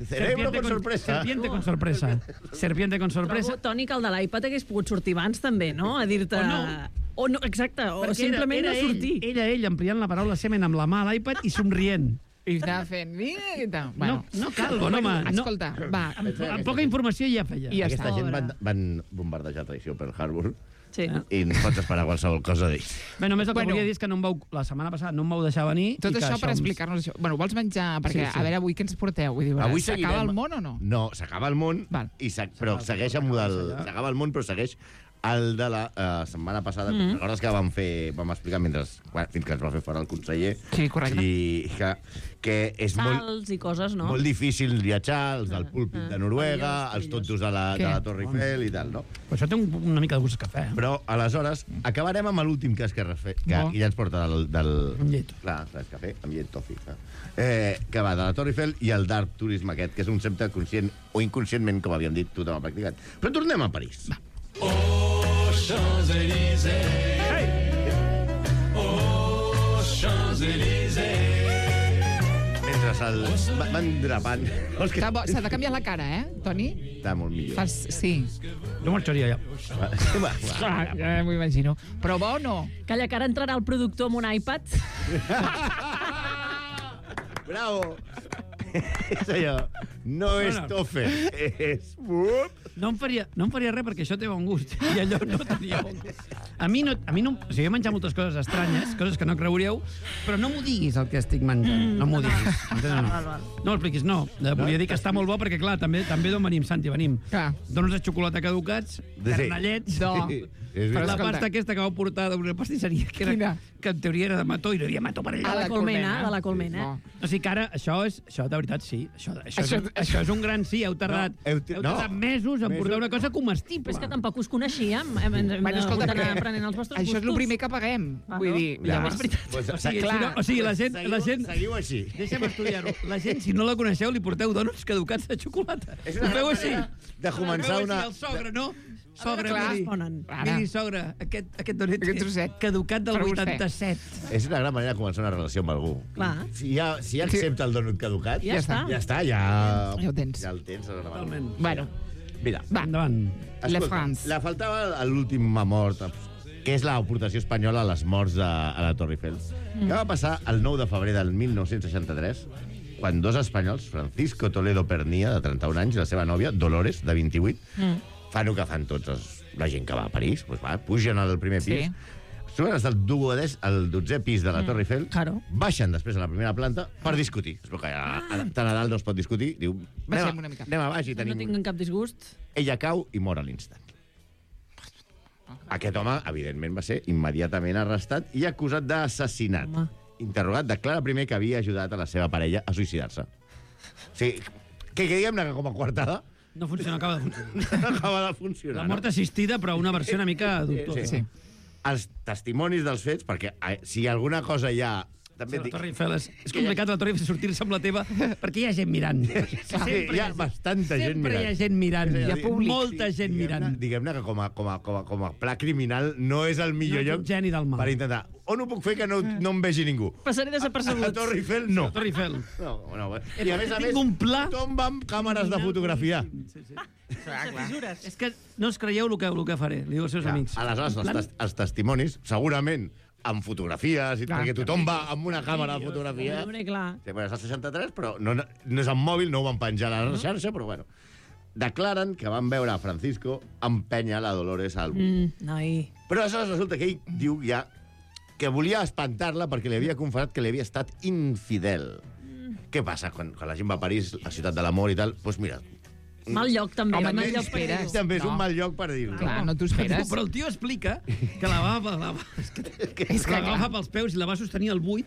cerebro con sorpresa. Serpiente con sorpresa. Serpiente con sorpresa. Trobo, Toni, que el de l'iPad hagués pogut sortir abans també, no? A dir-te... O no, exacte, o simplement no sortir. Era ell ampliant la paraula semen amb la mà a l'iPad i somrient. I estava fent... No cal, bon home. Escolta, va. Amb poca informació ja feia. Aquesta gent van bombardejar traïció per Harbour. Sí. I no pots esperar qualsevol cosa d'ells. Bé, només el que volia dir és que la setmana passada no em vau deixar venir. Tot això per explicar-nos això. Bueno, vols menjar? Perquè, a veure, avui què ens porteu? Avui s'acaba el món o no? No, s'acaba el món, però segueix amb el... S'acaba el món, però segueix el de la setmana passada. Recordes que vam explicar fins que ens va fer fora el conseller. Sí, correcte. I que és Salts i coses, no? Molt difícil viatjar, els del púlpic de Noruega, els tontos de la Torre Eiffel i tal, no? Però això té una mica de gust de cafè. Però, aleshores, acabarem amb l'últim cas que ja ens porta del... Amb llet. Clar, és cafè, amb llet tofi. Que va de la Torre Eiffel i el dark tourisme aquest, que és un concepte conscient o inconscientment, com havíem dit, tothom ha practicat. Però tornem a París. Va. Champs-Élysées. Hey! Champs-Élysées. Mentre Van drapant. S'ha de canviar la cara, Toni? Està molt millor. Sí. Jo marxaria ja. Ja m'ho imagino. Però bo o no? Calla, que ara entrarà el productor amb un iPad. Bravo! És allò. No és tofe, és... No em faria res perquè això té bon gust. I allò no tenia bon gust. A mi no... O sigui, he menjat moltes coses estranyes, coses que no creuríeu, però no m'ho diguis el que estic menjant. No m'ho diguis. No ho expliquis, no. Volia dir que està molt bo perquè, clar, també d'on venim, Santi, venim. Dones de xocolata caducats, carnellets... La pasta aquesta que vau portar d'una pastisseria, que en teoria era de mató, i no hi havia mató per allà. De la colmena. O sigui que ara, això, de veritat, sí. Això és un gran sí. Heu tardat mesos en portar una cosa comestible. Però és que tampoc us coneixíem. Hem d'anar aprenent els vostres gustos. Això és el primer que paguem. Vull dir, és veritat. O sigui, la gent... Seguiu així. Deixa'm estudiar-ho. La gent, si no la coneixeu, li porteu donuts caducats de xocolata. Ho feu així. De començar una... El sogre, no? Sogra, miri, sogra, aquest donet caducat del 87. És una gran manera de començar una relació amb algú. Clar. Si accepta el donut caducat, ja està. Ja ho tens. Ja el tens. Totalment. Bueno. Mira. Endavant. La France. La faltava l'última mort, que és l'aportació espanyola a les morts a la Torre Eiffel. Que va passar el 9 de febrer del 1963, quan dos espanyols, Francisco Toledo Pernia, de 31 anys, i la seva nòvia, Dolores, de 28, fan el que fan la gent que va a París, pugen al primer pis, suben fins al 12è pis de la Torre Eiffel, baixen després a la primera planta per discutir. Es veu que tant a dalt no es pot discutir, diu, anem a baix i tenim... No tinc cap disgust. Ella cau i mor a l'instant. Aquest home, evidentment, va ser immediatament arrestat i acusat d'assassinat. Interrogat, declara primer que havia ajudat a la seva parella a suïcidar-se. O sigui, que diguem-ne que com a coartada no acaba de funcionar. No acaba de funcionar. La mort assistida, però una versió una mica dubtosa. Sí. Els testimonis dels fets, perquè si alguna cosa hi ha... També la Torre Eiffel és complicat, la Torre Eiffel, sortir-se amb la teva, perquè hi ha gent mirant. Hi ha bastanta gent mirant. Sempre hi ha gent mirant. Hi ha molta gent mirant. Diguem-ne que com a pla criminal no és el millor lloc per intentar. On ho puc fer que no em vegi ningú? Passaré desapercebut. A la Torre Eiffel, no. La Torre Eiffel. I a més, tothom va amb càmeres de fotografiar. És que no us creieu el que faré, li diu als seus amics. Aleshores, els testimonis, segurament, amb fotografies, perquè tothom va amb una càmera de fotografia. És el 63, però no és en mòbil, no ho van penjar a la xarxa, però bueno. Declaren que van veure a Francisco empènyer la Dolores al buit. Però aleshores resulta que ell diu ja que volia espantar-la perquè li havia confessat que li havia estat infidel. Què passa quan la gent va a París, la ciutat de l'amor i tal? Doncs mira... Mal lloc, també. També és un mal lloc per dir-ho. Clar, no t'ho esperes. Però el tio explica que la va agafar pels peus i la va sostenir al buit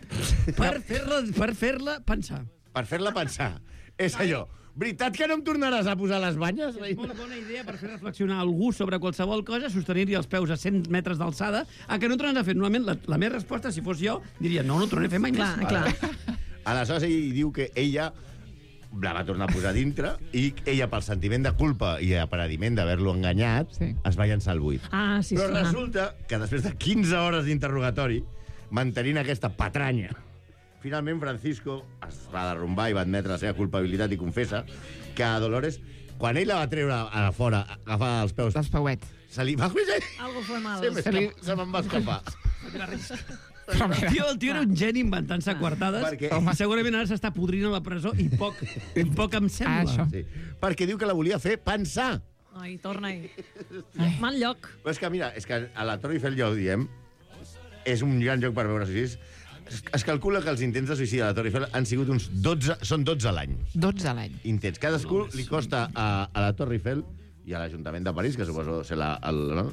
per fer-la pensar. Per fer-la pensar. És allò. Veritat que no em tornaràs a posar les banyes? És una bona idea per fer reflexionar algú sobre qualsevol cosa, sostenir-hi els peus a 100 metres d'alçada, a que no tornaràs a fer. Normalment, la meva resposta, si fos jo, diria, no tornaré a fer mai més. Clar. Aleshores, ell diu que ella la va tornar a posar dintre i ella, pel sentiment de culpa i aparadiment d'haver-lo enganyat, es va llançar al buit. Però resulta que després de 15 hores d'interrogatori, mantenint aquesta patranya, finalment Francisco es va derrumbar i va admetre la seva culpabilitat i confessa que a Dolores, quan ell la va treure a fora, agafar els peus... Els pauets. Se li va... Algo fue mal. Se me'n va escapar. El tio era un geni inventant-se coartades i segurament ara s'està podrint a la presó i poc em sembla. Perquè diu que la volia fer pensar. Ai, torna-hi. Mal lloc. Però és que, mira, a la Torre Eiffel, ja ho diem, és un gran lloc per veure suïcidis. Es calcula que els intents de suïcidi a la Torre Eiffel han sigut uns 12, són 12 a l'any. 12 a l'any. Intents. Cadascú li costa a la Torre Eiffel i a l'Ajuntament de París, que suposo ser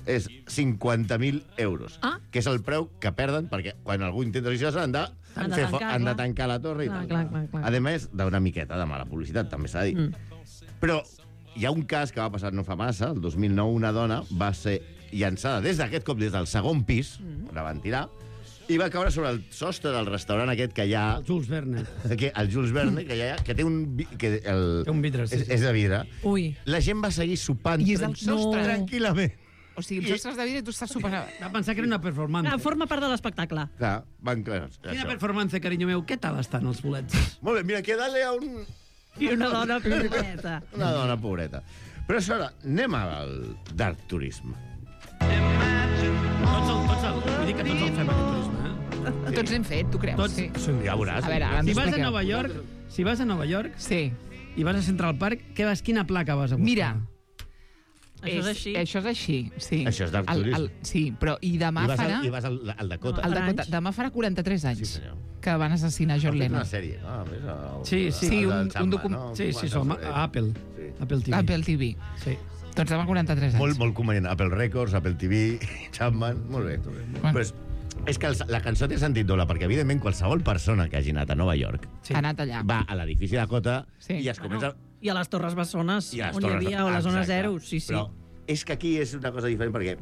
és 50.000 euros, que és el preu que perden, perquè quan algú intenta suïcidar-se han de tancar la torre i tal. A més, d'una miqueta de mala publicitat, també s'ha de dir. Però hi ha un cas que va passar no fa massa, el 2009, una dona va ser llançada des d'aquest cop, des del segon pis, la van tirar, i va caure sobre el sostre del restaurant aquest que hi ha... El Jules Verne. El Jules Verne, que té un... Té un vidre, és de vidre. Ui. La gent va seguir sopant tranquil·lament. O sigui, els ostres de vidre i tu estàs super... Va pensar que era una performance. Forma part de l'espectacle. Clar, van clar. Quina performance, carinyo meu. Què tal estan els bolets? Molt bé, mira, aquí a dalt hi ha un... I una dona pobreta. Una dona pobreta. Però això, anem al Dark Tourism. Vull dir que tots el fem, aquest turisme, eh? Tots hem fet, tu creus? Tots. Sí. Ja veuràs. A veure, ara ens Si vas a expliqueu. Nova York, Sí. i vas a Central Park, quina placa vas a buscar? Mira, Això és així. Això és així, sí. Això és Dark Tourism. Sí, però i demà farà... I vas al Dakota. El Dakota. Demà farà 43 anys Sí, senyor. que van assassinar John Han fet Lennon. una sèrie, no? A més, Sí, Sí, un Sí, som a Apple. Sí. Apple TV. Apple TV. Sí. Doncs demà 43 anys. Molt convenient. Apple Records, Apple TV, Chapman... Molt bé. Però és que la cançó té sentit doble, perquè, evidentment, qualsevol persona que hagi anat a Nova York Ha anat allà. va a l'edifici Dakota Sí. i es comença... I a les Torres Bessones, I a les on hi Torres- havia, o a la zona Exacte. 0, sí. Però és que aquí és una cosa diferent, perquè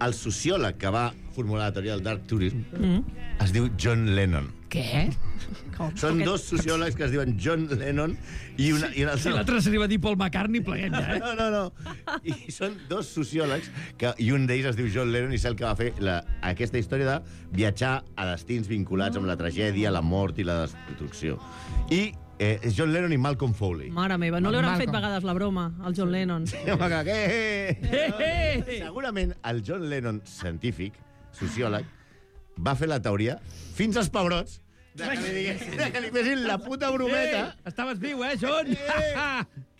el sociòleg que va formular la teoria del Dark Tourism es diu John Lennon. Què? Són dos sociòlegs que es diuen John Lennon i un Si altre... l'altre se li va dir Paul McCartney, pleguem ja, eh? No. I són dos sociòlegs i un d'ells es diu John Lennon i és el que va fer aquesta història de viatjar a destins vinculats amb la tragèdia, la mort i la destrucció. I John Lennon i Malcolm Foley. Mare meva, no li hauran fet Malcolm. vegades la broma al John Lennon. Segurament el John Lennon científic, sociòleg, va fer la teoria fins als pebrots de que li fessin la puta brometa. Estaves viu, John?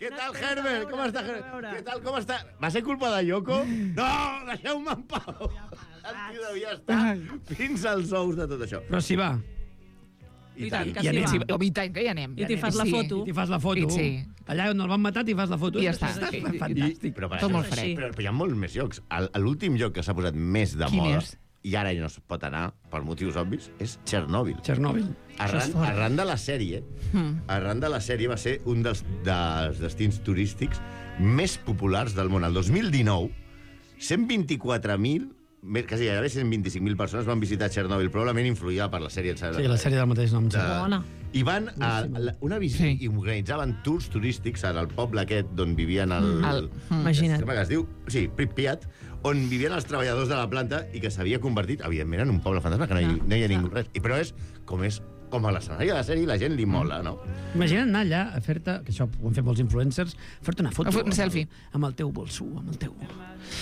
Què tal, Herbert? Com està, Herbert? Què tal, com està? Va ser culpa de Yoko? No, deixeu-me en pau. El tio devia estar fins als ous de tot això. Però si va. I tant, que I sí anem. va. Sí, i tant, que hi anem. I t'hi fas la foto. T'hi fas la foto. Sí. Allà on el van matar t'hi fas la foto. I ja està. Fantàstic. Però, per Tot això, molt fred. però hi ha molts més llocs. L'últim lloc que s'ha posat més de Quin moda, és? i ara ja no es pot anar, per motius obvis, és Txernòbil. Txernòbil. Arran de la sèrie, va ser un dels destins turístics més populars del món. El 2019, 124.000, quasi gairebé 125.000 persones van visitar Txernòbil, probablement influïda per la sèrie. Sí, la sèrie del mateix nom. Bona. I van a una visita i organitzaven tours turístics al poble aquest d'on vivien Imagina't. que es diu, sí, Pripyat, on vivien els treballadors de la planta i que s'havia convertit, evidentment, en un poble fantasma, que no hi ha ningú res. Però és com a l'escenari de la sèrie, la gent li mola, no? Imagina't anar allà a fer-te, que això ho han fet molts influencers, fer-te una foto. Un selfie. Amb el teu bolsú, amb el teu...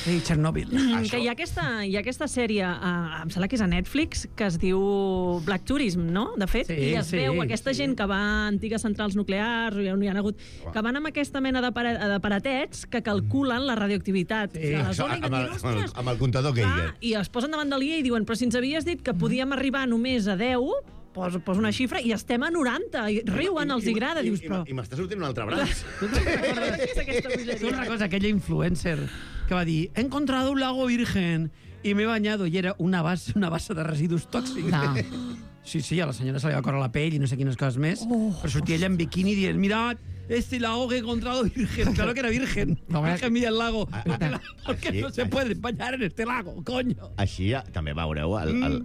Ei, Txernòbil. Que hi ha aquesta sèrie, em sembla que és a Netflix, que es diu Black Tourism, no? De fet, Sí, i es veu aquesta gent que va a antigues centrals nuclears, on hi ha hagut, que van amb aquesta mena d'aparatets que calculen la radioactivitat de la zona i que diuen, ostres, Amb el comptador Geiger. i es posen davant del guia i diuen, però si ens havies dit que podíem arribar només a 10, posa una xifra i estem a 90, i riuen, els hi agrada, dius, però... I m'està sortint un altre braç. Tu recordes aquella influencer que va dir, he encontrado un lago virgen y me he bañado, y era una base de residus tòxics. No. Sí, a la senyora se li va córrer la pell i no sé quines coses més, però sortia ella en biquini dient, mirad, este lago que he encontrado virgen. Claro que era virgen. No, Virgen mira el lago. Porque Així- no se puede bañar en este lago, coño. Així també veureu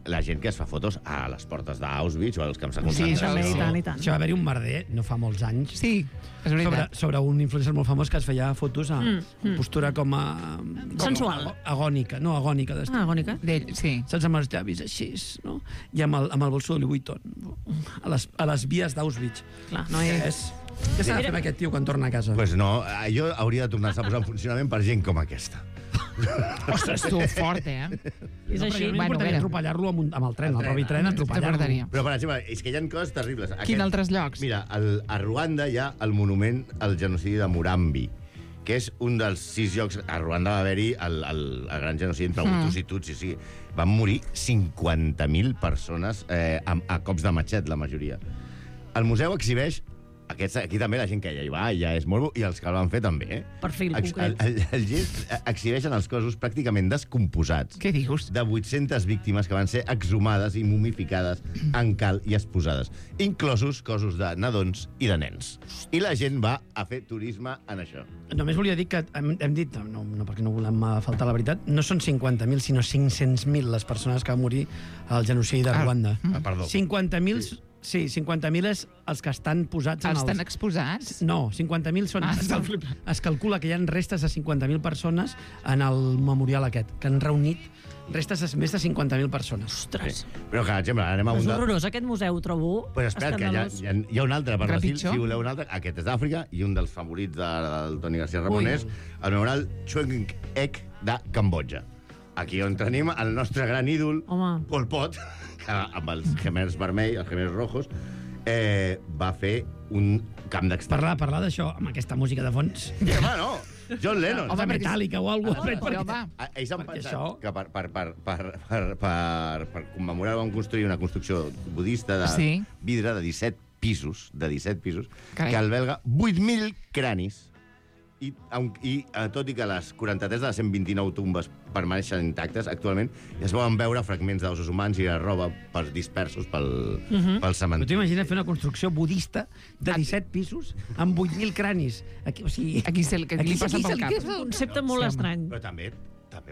la gent que es fa fotos a les portes d'Auschwitz o als camps de Sí, concentració. això I tant, i tant. Això va haver-hi un merder, no fa molts anys, Sí, és veritat. sobre un influencer molt famós que es feia fotos a postura com a... Sensual. Agònica, no agònica. Agònica. D'ell, sí. Saps, amb els llavis així, no? I amb el bolsó de Louis Vuitton, a les vies d'Auschwitz. Clar, no és... Què s'ha de fer amb aquest tio quan torna a casa? Pues no, allò hauria de tornar-se a posar en funcionament per gent com aquesta. Ostres, tu, fort, eh? És així. No Bueno, m'importaria mira. atropellar-lo amb el tren, el propi tren, atropellar-lo. T'agradaria. Però, per exemple, és que hi ha coses terribles. Quin altres llocs? Mira, a Ruanda hi ha el monument al genocidi de Murambi, que és un dels 6 llocs... A Ruanda va haver-hi el gran genocidi entre Hutus i Tutsis. Sí. Van morir 50.000 persones a cops de matxet, la majoria. El museu exhibeix... Aquí també la gent que ja hi va, ja és molt bo, i els que el van fer també, eh? Perfil concret. El gest exhibeixen els cossos pràcticament descomposats Què dius? de 800 víctimes que van ser exhumades i mumificades en cal i exposades, inclosos cossos de nadons i de nens. I la gent va a fer turisme en això. Només volia dir que hem dit, no perquè no volem faltar la veritat, no són 50.000, sinó 500.000 les persones que van morir al genocidi de Ruanda. Perdó. 50.000 Sí, 50.000 és els que estan posats en els... Estan exposats? No, 50.000 són... Es calcula que hi ha restes de 50.000 persones en el memorial aquest, que han reunit restes de més de 50.000 persones. Ostres. Però, per exemple, anem a És un... horrorós, aquest museu, trobo. Pues espera, que hi ha un altre per l'estil, si voleu un altre. Aquest és d'Àfrica i un dels favorits del Toni García Ramonès, el memorial Chuen Ek de Cambodja. Aquí on tenim el nostre gran ídol, Pol Pot, que amb els gemers vermells, els gemers rojos, va fer un camp d'extermini. Parlar d'això amb aquesta música de fons. Home, no! John Lennon. Home, Metallica o alguna cosa. Ells han pensat que per commemorar van construir una construcció budista de vidre de 17 pisos, que alberga 8.000 cranis. I tot i que les 43 de les 129 tombes permaneixen intactes, actualment ja es poden veure fragments d'ossos humans i de roba dispersos pel cementiri. Però t'imagines fer una construcció budista de 17 pisos amb 8.000 cranis. Aquí, o sigui, aquí li passa pel cap. És un concepte molt estrany. Però també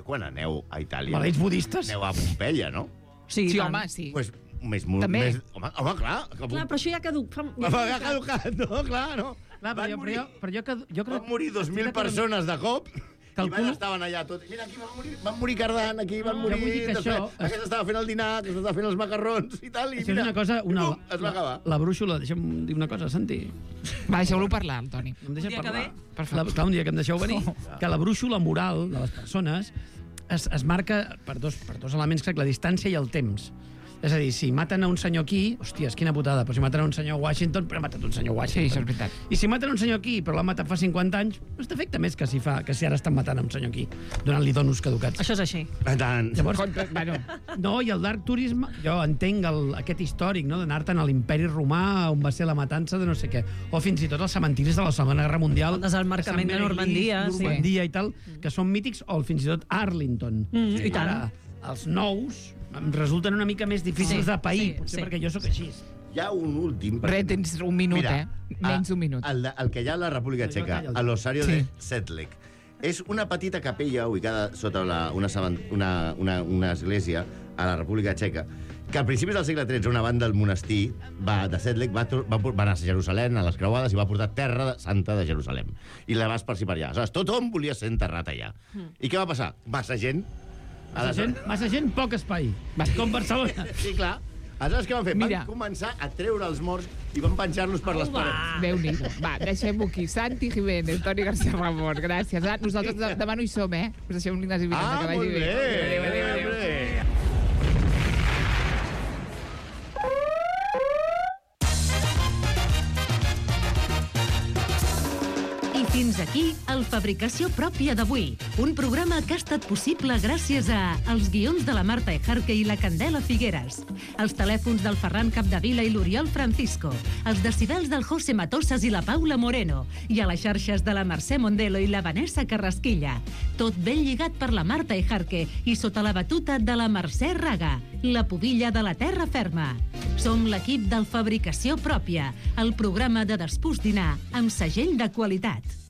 quan aneu a Itàlia... Maleïts budistes. Aneu a Pompeia, no? Sí, home, sí. Pues, també. Home, clar. Clar, però això ja caduc. Ja caducat, no, clar, no. Clar, però jo crec... Van morir 2.000 persones de cop i estaven allà tots. Mira, aquí van morir Cardant, aquí van morir... Aquest estava fent el dinar, aquest estava fent els macarrons i tal, i mira, es va acabar. La brúixola, deixa'm dir una cosa, Santi. Va, deixeu-lo parlar, el Toni. Un dia que ve? Clar, un dia que em deixeu venir. Que la brúixola moral de les persones es marca per dos elements, crec, la distància i el temps. És a dir, si maten a un senyor aquí, hòsties, quina putada, però si maten a un senyor a Washington, però ha matat un senyor a Washington. Sí, això és veritat. I si maten a un senyor aquí, però l'han matat fa 50 anys, no t'afecta més que si ara estan matant a un senyor aquí, donant-li donos caducats. Això és així. Llavors, no, i el dark tourism, jo entenc aquest històric, no?, d'anar-te'n a l'imperi romà, on va ser la matança de no sé què, o fins i tot els cementiris de la Segona Guerra Mundial. El desembarcament de Normandia. Normandia i tal, que són mítics, o fins i tot Arlington. I tant. Ara, els nous em resulten una mica més difícils de pair, potser perquè jo sóc així. Hi ha un últim... Tens un minut, menys d'un minut. El que hi ha a la República Txeca, a l'Osario de Sedlec. És una petita capella ubicada sota una església a la República Txeca, que al principis del segle XIII una banda del monestir de Sedlec va anar a Jerusalem, a les creuades, i va portar terra santa de Jerusalem. I la va esparcir per allà. Aleshores, tothom volia ser enterrat allà. I què va passar? Massa gent, poc espai. Com Barcelona. Sí, clar. Aleshores, què van fer? Van començar a treure els morts i van penjar-los per les parets. Déu-n'hi-do. Va, deixem-ho aquí. Santi Jiménez, Toni García Ramon, gràcies. Nosaltres demà no hi som, Us deixem un Ignasi Miranda, que vagi bé. Adéu. Fins aquí el Fabricació Pròpia d'avui, un programa que ha estat possible gràcies a els guions de la Marta Ejarque i la Candela Figueres, els telèfons del Ferran Capdevila i l'Oriol Francisco, els decibels del José Matosas i la Paula Moreno, i a les xarxes de la Mercè Mondelo i la Vanessa Carrasquilla. Tot ben lligat per la Marta Ejarque i sota la batuta de la Mercè Raga, la pubilla de la terra ferma. Som l'equip del Fabricació Pròpia, el programa de despús dinar amb segell de qualitat.